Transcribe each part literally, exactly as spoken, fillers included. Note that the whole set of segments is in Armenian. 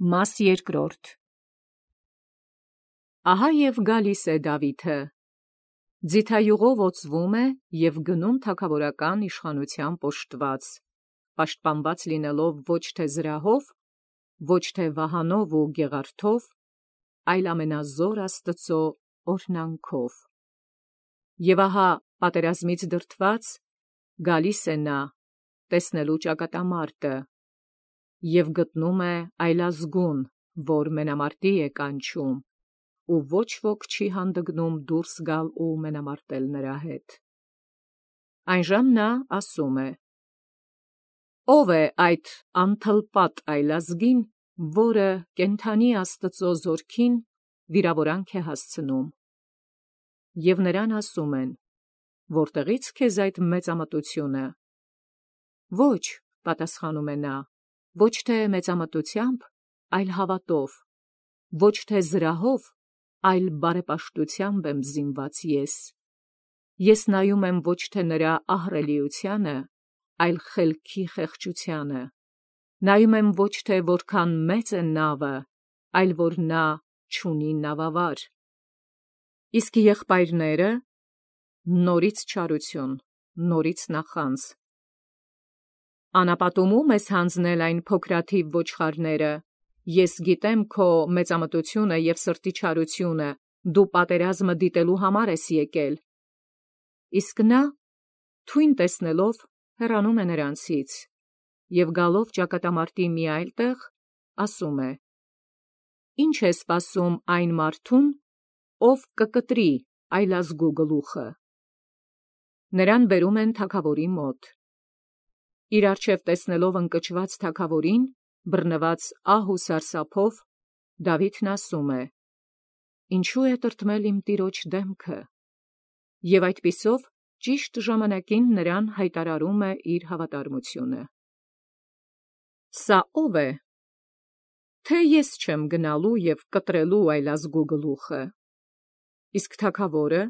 Մաս երկրորդ Ահա և գալիս է Դավիթը, ձիթայուղով օծվում է և գնում թագավորական իշխանությամբ օժտված, պաշտպանված լինելով ոչ թե զրահով, ոչ թե վահանով ու գեղարդով, այլ ամենազոր Աստծու օրհնանքով։ Եվ ահա պատերազմից դրդված գալիս է նա, տեսնելու ճակատամարտը, և գտնում է այլազգուն, որ մենամարտի է կանչում, ու ոչ ոք չի հանդգնում դուրս գալ ու մենամարտել նրա հետ։ Այնժամ նա ասում է. «Ո՞վ է այդ անթլպատ այլազգին, որը կենդանի Աստծու զորքին վիրավորանք է հասցնում»։ Եվ նրան ասում են. «Որտեղի՞ց քեզ այդ մեծամտությունը»։ «Ոչ», պատասխանում է նա, «ոչ թե մեծամտությամբ, այլ հավատով, ոչ թե զրահով, այլ բարեպաշտությամբ եմ զինված ես։ Ես նայում եմ ոչ թե նրա ահռելիությանը, այլ խելքի խեղճությանը. նայում եմ ոչ թե որքան մեծ է նավը, այլ որ նա չունի նավավար։ Իսկ եղբայրները՝ նորից չարություն, նորից նախանձ։ Անապատումո՞ւմ ես հանձնել այն փոքրաթիվ ոչխարները. ես գիտեմ քո մեծամտությունը և սրտի չարությունը, դու պատերազմը դիտելու համար ես եկել։ Իսկ նա, թույն տեսնելով, հեռանում է նրանցից, և գալով ճակատամարտի մի այլ տեղ, ասում է. «Ի՞նչ է սպասում այն մարդուն, ով կկտրի այլազգու գլուխը»։ Նրան բերում են թագավորի մոտ։ Իր առջև տեսնելով ընկճված թագավորին, բռնված ահ ու սարսափով, Դավիթն ասում է. «Ինչո՞ւ է տրտմել իմ տիրոջ դեմքը»։ Եվ այդպիսով ճիշտ ժամանակին նրան հայտարարում է իր հավատարմությունը։ Սա ո՞վ է, թե ես չեմ գնալու և կտրելու այլազգու գլուխը։ Իսկ թագավորը,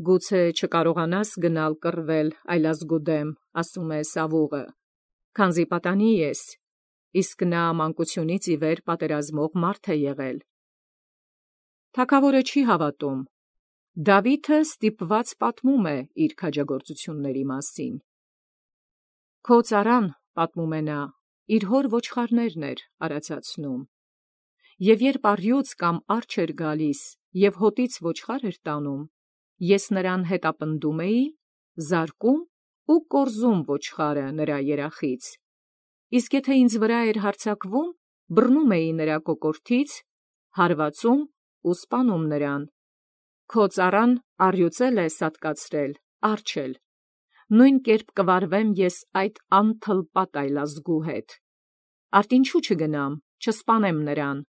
գուցե չկարողանաս գնալ կռվել այլազգու դեմ, ասում է Սավուղը, քանզի պատանի ես, իսկ նա մանկությունից ի վեր պատերազմող մարդ է եղել։ Թագավորը չի հավատում։ Դավիթը ստիպված պատմում է իր քաջագործությունների մասին։ «Քո ծառան, պատմում է նա, իր հոր ոչխարներն էր արածացնում։ Եվ երբ առյուծ կամ արջ էր գալիս և հոտից ոչխար էր տանում, ես նրան հետապնդում էի, զարկում ու կորզում ոչխարը նրա երախից։ Իսկ եթե ինձ վրա էր հարձակվում, բռնում էի նրա կոկորդից, հարվածում ու սպանում նրան։ Քո ծառան առյուծ է սատկացրել, արջ էլ։ Նույն կերպ կվարվեմ ես այդ անթլպատ այլազգու հետ։ Արդ ինչու չգնամ, չսպանեմ նրան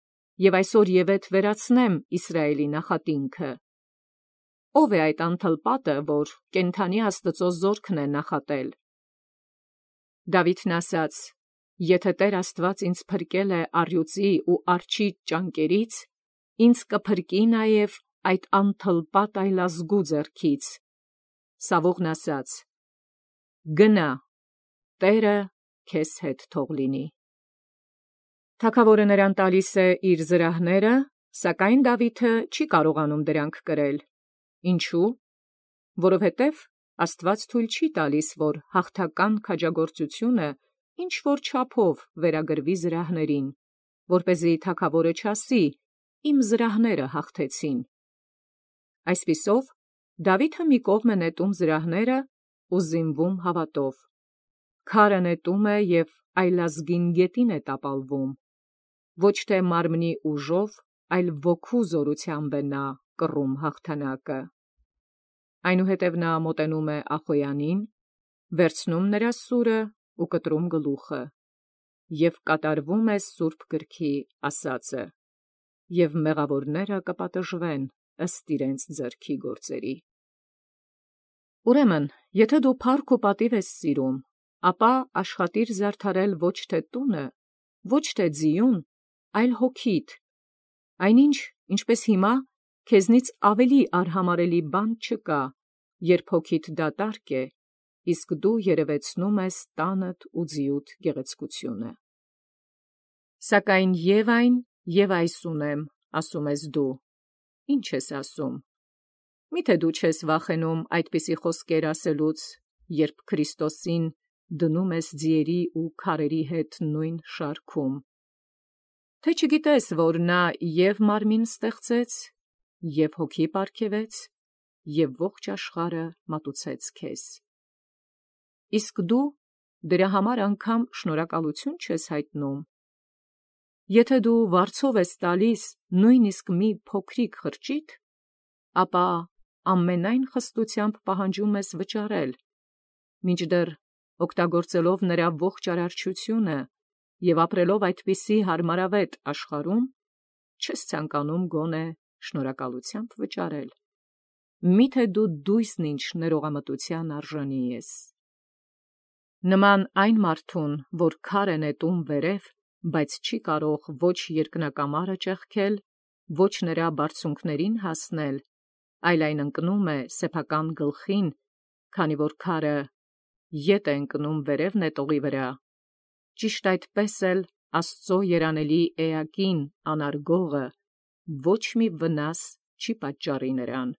և այսօրևեթ վերացնեմ Իսրայելի նախատինքը։ Ո՞վ է այդ անթլպատը, որ կենդանի Աստծու զորքն է նախատել»։ Դավիթն ասաց. «Եթե Տեր Աստված ինձ փրկել է առյուծի ու արջի ճանկերից, ինձ կփրկի նաև այդ անթլպատ այլազգու ձեռքից»։ Սավուղն ասաց. «Գնա, Տերը քեզ հետ թող լինի»։ Թագավորը նրան տալիս է իր զրահները, սակայն Դավիթը չի կարողանում դրանք կրել։ Ինչո՞ւ։ Որովհետև Աստված թույլ չի տալիս, որ հաղթական քաջագործությունը ինչ-որ չափով վերագրվի զրահներին, որպեսզի թագավորը չասի. «Իմ զրահները հաղթեցին»։ Այսպիսով Դավիթը մի կողմ է նետում զրահները ու զինվում հավատով։ Քարը նետում է և այլազգին գետին է տապալվում։ Ոչ թե մարմնի ուժով, այլ ոգու զորությամբ է նա կռում հաղթանակը։ Այնուհետև նա մոտենում է Ախոյանին, վերցնում նրա սուրը ու կտրում գլուխը, և կատարվում է սուրբ գրքի ասածը. «Եվ մեղավորները կպատժվեն ըստ իրենց ձեռքի գործերի»։ Ուրեմն, եթե դու փառք ու պատիվ ես սիրում, ապա աշխատիր զարդարել ոչ թե տունը, ոչ թե ձիուն, այլ հոգիդ։ Այնինչ, ինչպես հիմա, քեզնից ավելի արհամարհելի բան չկա, երբ հոգիդ դատարկ է, իսկ դու երևեցնում ես տանդ ու ձիուդ գեղեցկությունը։ Սակայն և այն, և այս ունեմ, ասում ես դու։ Ինչ ես ասում։ Միթե դու չես վախենում այդպիսի խոսքեր ասելուց, երբ Քրիստոսին դնում ես ձիերի ու քարերի հետ նույն շարքում։ Թե չգիտես, որ նա և մարմին ստեղծեց, և հոգի պարգևեց, և ողջ աշխարհը մատուցեց քեզ։ Իսկ դու դրա համար անգամ շնորհակալություն չես հայտնում։ Եթե դու վարձով ես տալիս նույնիսկ մի փոքրիկ խրճիթ, ապա ամենայն խստությամբ պահանջում ես վճարել, մինչդեռ օգտագործելով նրա ողջ արարչությունը և ապրելով այդպիսի հարմարավետ աշխարհում, չես ցանկանում գոնե շնորհակալությամբ վճարել։ Միթե դու դույսն ինչ ներողամտության արժանի ես։ Նման այն մարդուն, որ քար է նետում վերև, բայց չի կարող ոչ երկնակամարը ճեղքել, ոչ նրա բարձունքներին հասնել, այլ այն ընկնում է սեփական գլխին, քանի որ քարը ետ է ընկնում վերև նետողի վրա, ճիշտ այդպես էլ Աստծո երանելի էակին անարգողը ոչ մի վնաս չի պատճառի նրան,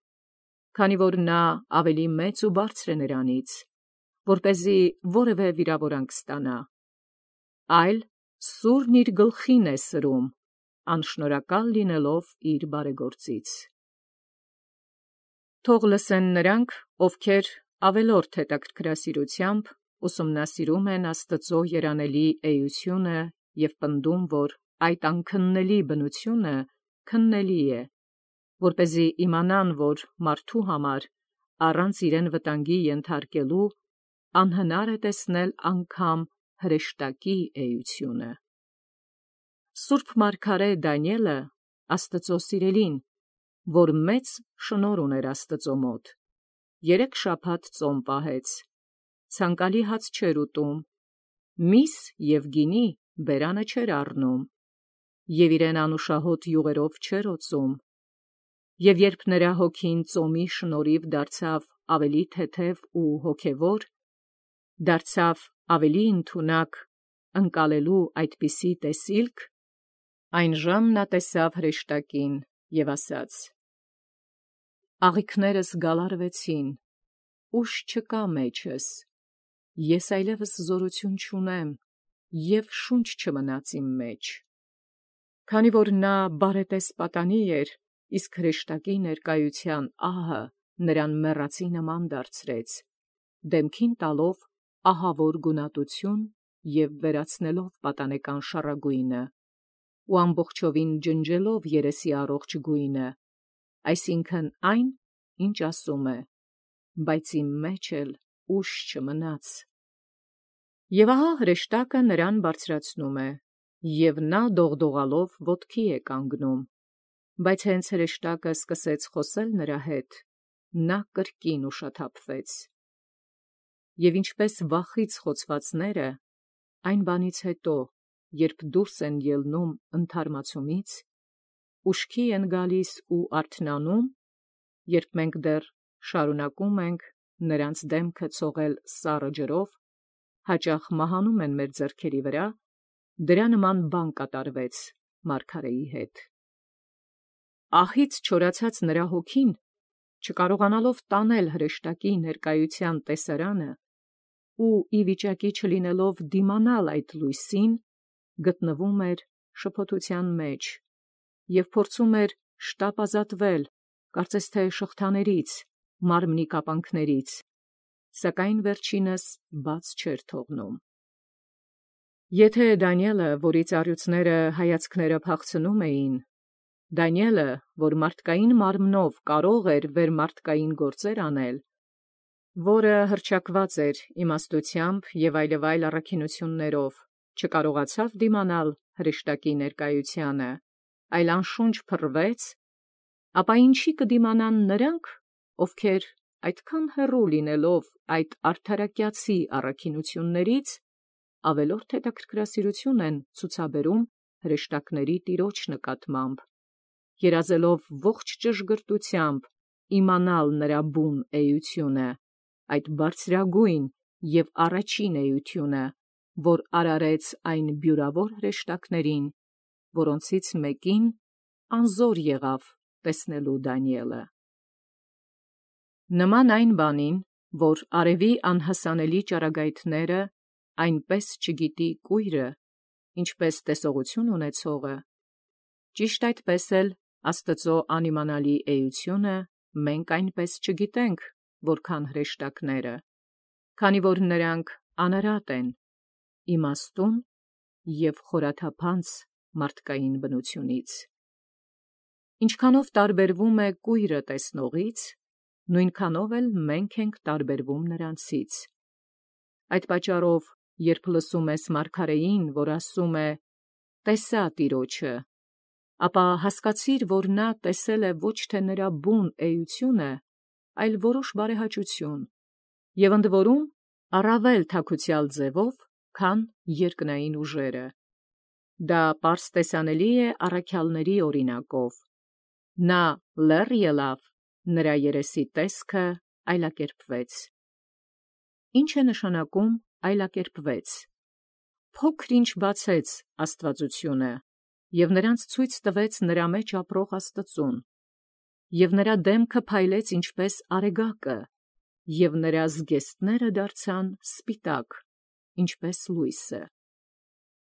քանի որ նա ավելի մեծ ու բարձր է նրանից, որպեսզի որևէ վիրավորանք ստանա, այլ սուրն իր գլխին է սրում, անշնորհակալ լինելով իր բարեգործից։ Թող լսեն նրանք, ովքեր ավելորդ հետաքրքրասիրությամբ ուսումնասիրում են Աստծո երանելի էությունը և պնդում, որ այդ անքննելի բնությունը քննելի է, որպեսզի իմանան, որ մարդու համար առանց իրեն վտանգի ենթարկելու անհնար է տեսնել անգամ հրեշտակի էությունը։ Սուրբ մարգարե Դանիէլը, Աստծո սիրելին, որ մեծ շնորհ ուներ Աստծո մոտ, երեք շաբաթ ծոմ պահեց, ցանկալի հաց չէր ուտում, միս և գինի բերանը չէր առնում, և իրեն անուշահոտ յուղերով չէր օծում, և երբ նրա հոգին ծոմի շնորհիվ դարձավ ավելի թեթև ու հոգևոր, դարձավ ավելի ընդունակ ընկալելու այդպիսի տեսիլք, այնժամ նա տեսավ հրեշտակին և ասաց. «Աղիքներս գալարվեցին, ուժ չկա մեջս, ես այլևս զորություն չունեմ, և շունչ չմնաց իմ մեջ»։ Քանի որ նա բարետես պատանի էր, իսկ հրեշտակի ներկայության ահը նրան մեռածի նման դարձրեց, դեմքին տալով ահավոր գունատություն և վերացնելով պատանեկան շառագույնը, ու ամբողջովին ջնջելով երեսի առողջ գույնը, այսինքն այն, ինչ ասում է. «Բայց իմ մեջ էլ ուժ չմնաց»։ Եվ ահա հրեշտակը նրան բարձրացնում է, և նա դողդողալով ոտքի է կանգնում, բայց հենց հրեշտակը սկսեց խոսել նրա հետ, նա կրկին ուշաթափվեց։ Եվ ինչպես վախից խոցվածները, այն բանից հետո, երբ դուրս են ելնում ընդհարմացումից, ուշքի են գալիս ու արթնանում, երբ մենք դեռ շարունակում ենք նրանց դեմքը ցողել սառը ջրով, հաճախ մահանում են մեր ձեռքերի վրա, դրա նման բան կատարվեց մարգարեի հետ։ Ահից չորացած նրա հոգին, չկարողանալով տանել հրեշտակի ներկայության տեսարանը ու ի վիճակի չլինելով դիմանալ այդ լույսին, գտնվում էր շփոթության մեջ և փորձում էր շտապ ազատվել, կարծես թե շղթաներից, մարմնի կապանքներից, սակայն վերջինս բաց չէր թողնում։ Եթե Դանիէլը, որի ծառյուծները հայացքները փախցնում էին, Դանիէլը, որ մարդկային մարմնով կարող էր վերմարտկային գործեր անել, որը հռչակված էր իմաստությամբ և այլևայլ առաքինություններով, չկարողացավ դիմանալ հրեշտակի ներկայությանը, այլ անշունչ փռվեց, ապա ինչի կդիմանան նրանք, ովքեր այդքան հեռու լինելով այդ արդարակյացի առաքինություններից, ավելորդ հետաքրքրասիրություն են ցուցաբերում հրեշտակների տիրոջ նկատմամբ, երազելով ողջ ճշգրտությամբ իմանալ նրա բուն էությունը, այդ բարձրագույն և առաջին էությունը, որ արարեց այն բյուրավոր հրեշտակներին որոնցից մեկին անզոր եղավ տեսնելու Դանիէլը։ Նման այն բանին, որ արևի անհասանելի ճառագայթները այնպես չգիտի կույրը, ինչպես տեսողություն ունեցողը, ճիշտ այդպես էլ Աստծո անիմանալի էությունը մենք այնպես չգիտենք, որքան հրեշտակները, քանի որ նրանք անարատ են, իմաստուն և խորաթափանց մարդկային բնությունից։ Ինչքանով տարբերվում է կույրը տեսնողից, նույնքանով էլ մենք ենք տարբերվում նրանցից։ Այդ պատճառով, երբ լսում ես մարգարեին, որ ասում է. «Տեսա Տիրոջը», ապա հասկացիր, որ նա տեսել է ոչ թե նրա բուն էությունը, այլ որոշ բարեհաճություն, և ընդ որում առավել թաքուցյալ ձևով, քան երկնային ուժերը։ Դա պարզ տեսանելի է առաքյալների օրինակով. նա լեռ ելավ, նրա երեսի տեսքը այլակերպվեց։ Ի՞նչ է նշանակում այլակերպվեց։ Փոքր-ինչ բացեց աստվածությունը, և նրանց ցույց տվեց նրա մեջ ապրող Աստծուն, և նրա դեմքը փայլեց ինչպես արեգակը, և նրա զգեստները դարձան սպիտակ, ինչպես լույսը։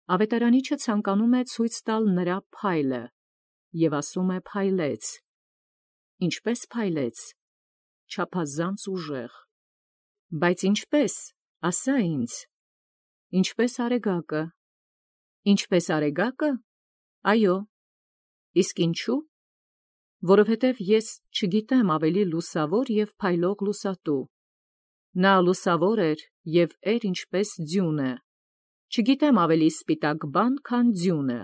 Ավետարանիչը ցանկանում է ցույց տալ նրա փայլը, և ասում է փայլեց։ Ինչպե՞ս փայլեց։ Չափազանց ուժեղ։ Բայց ինչպե՞ս, ասա ինձ։ Ինչպես արեգակը։ Ինչպես արեգակը։ Այո։ Իսկ ինչու։ Որովհետև ես չգիտեմ ավելի լուսավոր և փայլող լուսատու։ Նա լուսավոր էր և էր ինչպես ձյունը, չգիտեմ ավելի սպիտակ բան, քան ձյունը։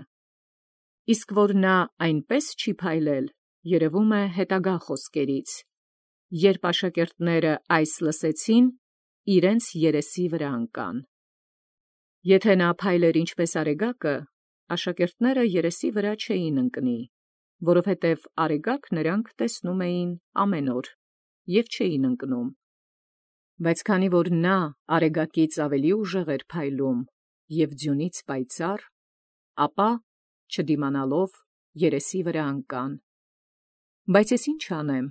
Իսկ որ նա այնպես չի փայլել, երևում է հետագա խոսքերից. երբ աշակերտները այս լսեցին, իրենց երեսի վրա ընկան։ Եթե նա փայլեր ինչպես արեգակը, աշակերտները երեսի վրա չէին ընկնի, որովհետև արեգակ նրանք տեսնում էին ամեն օր և չէին ընկնում։ Բայց քանի որ նա արեգակից ավելի ուժեղ էր փայլում և ձյունից պայծառ, ապա, չդիմանալով, երեսի վրա ընկան։ Բայց ես ի՞նչ անեմ։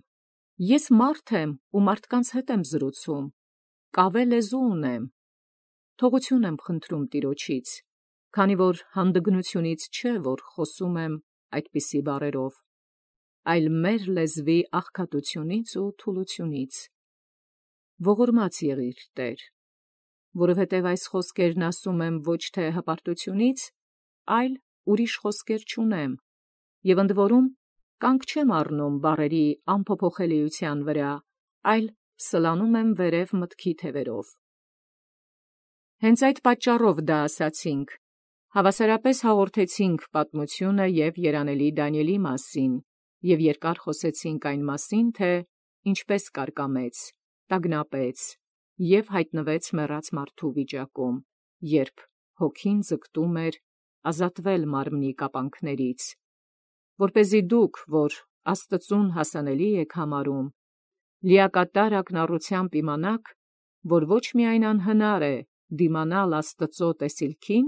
Ես մարդ եմ ու մարդկանց հետ եմ զրուցում, կավե լեզու ունեմ։ Թողություն եմ խնդրում Տիրոջից, քանի որ հանդգնությունից չէ, որ խոսում եմ այդպիսի բառերով, այլ մեր լեզվի աղքատությունից ու թուլությունից։ Ողորմած եղիր, Տեր, որովհետև այս խոսքերն ասում եմ ոչ թե հպարտությունից, այլ ուրիշ խոսքեր չունեմ, և ընդ որում կանգ չեմ առնում բառերի անփոփոխելիության վրա, այլ սլանում եմ վերև մտքի թևերով։ Հենց այդ պատճառով դա ասացինք, հավասարապես հաղորդեցինք պատմությունը և երանելի Դանիէլի մասին, և երկար խոսեցինք այն մասին, թե ինչպես կարկամեց, տագնապեց և հայտնվեց մեռած մարդու վիճակում, երբ հոգին ձգտում էր ազատվել մարմնի կապանքներից, որպեսզի դուք, որ Աստծուն հասանելի եք համարում, լիակատար ակնառությամբ իմանաք, որ ոչ միայն անհնար է դիմանալ Աստծո տեսիլքին,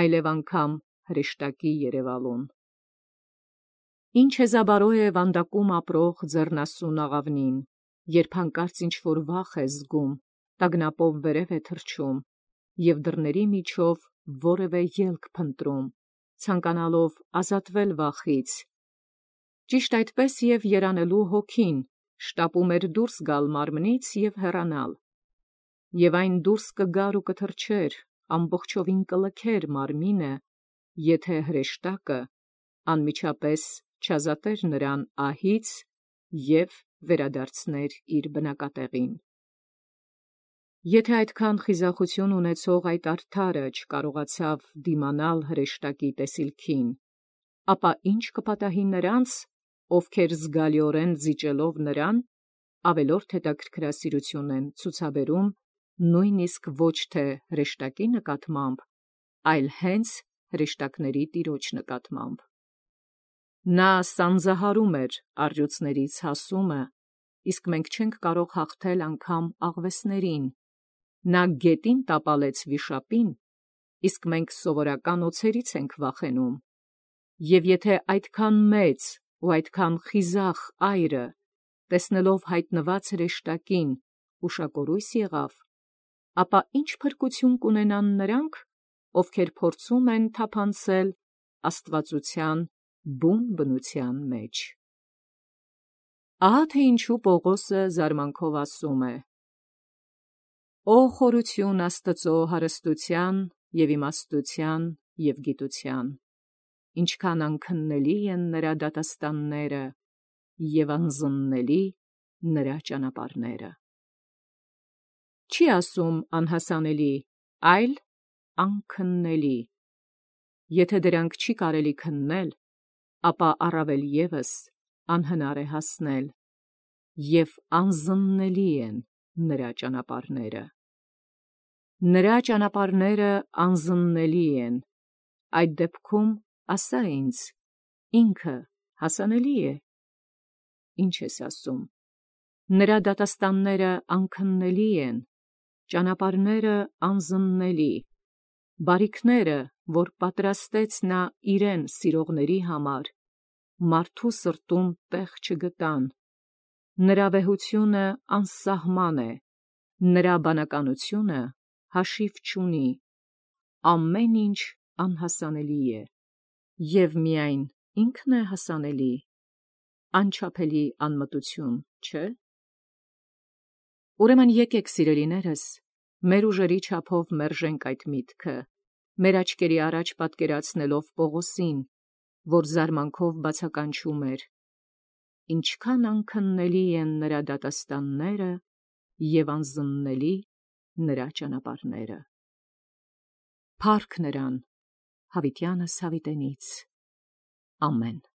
այլև անգամ հրեշտակի երևալուն։ Ինչ հեզաբարո է վանդակում ապրող ձեռնասուն աղավնին, երբ հանկարծ ինչ-որ վախ է զգում, տագնապով վերև է թռչում և դռների միջով որևէ ելք փնտրում, ցանկանալով ազատվել վախից։ Ճիշտ այդպես և երանելու հոգին շտապում էր դուրս գալ մարմնից և հեռանալ։ Եվ այն դուրս կգար ու կթռչեր, ամբողջովին կլքեր մարմինը, եթե հրեշտակը անմիջապես չազատեր նրան ահից և վերադարձներ իր բնակատեղին։ Եթե այդքան խիզախություն ունեցող այդ արդարը չկարողացավ դիմանալ հրեշտակի տեսիլքին, ապա ի՞նչ կպատահի նրանց, ովքեր զգալիորեն զիջելով նրան, ավելորդ հետաքրքրասիրություն են ցուցաբերում նույնիսկ ոչ թե հրեշտակի նկատմամբ, այլ հենց հրեշտակների Տիրոջ նկատմամբ։ Նա սանձահարում էր առյուծներից հասումը, իսկ մենք չենք կարող հաղթել անգամ աղվեսներին. նա գետին տապալեց վիշապին, իսկ մենք սովորական օձերից ենք վախենում։ Եվ եթե այդքան մեծ ու այդքան խիզախ այրը, տեսնելով հայտնված հրեշտակին, ուշակորույս եղավ, ապա ինչ փրկություն կունենան նրանք, ովքեր փորձում են թափանցել աստվածության բուն բնության մեջ։ Ահա թե ինչու Պողոսը զարմանքով ասում է. «Օ խորություն Աստծո հարստության և իմաստության և գիտության, ինչքան անքննելի են նրա դատաստանները և անզննելի նրա ճանապարհները»։ Չի ասում անհասանելի, այլ անքննելի։ Եթե դրանք չի կարելի քննել, ապա առավել ևս անհնար է հասնել, և անզննելի են նրա ճանապարհները։ Նրա ճանապարհները անզննելի են, այդ դեպքում ասա ինձ, ինքը հասանելի է։ Ինչ ես ասում։ Նրա դատաստանները անքննելի են, ճանապարհները անզննելի, բարիքները, որ պատրաստեց նա իրեն սիրողների համար, մարդու սրտում տեղ չգտան, նրա վեհությունը անսահման է, նրա բանականությունը հաշիվ չունի, ամեն ինչ անհասանելի է, և միայն ինքն է հասանելի, անչափելի անմտություն, չէ՞։ Ուրեմն եկեք, սիրելիներս, մեր ուժերի չափով մերժենք այդ միտքը, մեր աչքերի առաջ պատկերացնելով Պողոսին, որ զարմանքով բացականչում էր. ինչքան անքննելի են նրա դատաստանները և անզննելի նրա ճանապարհները։ Փառք նրան, հավիտյանս հավիտենից։ Ամեն։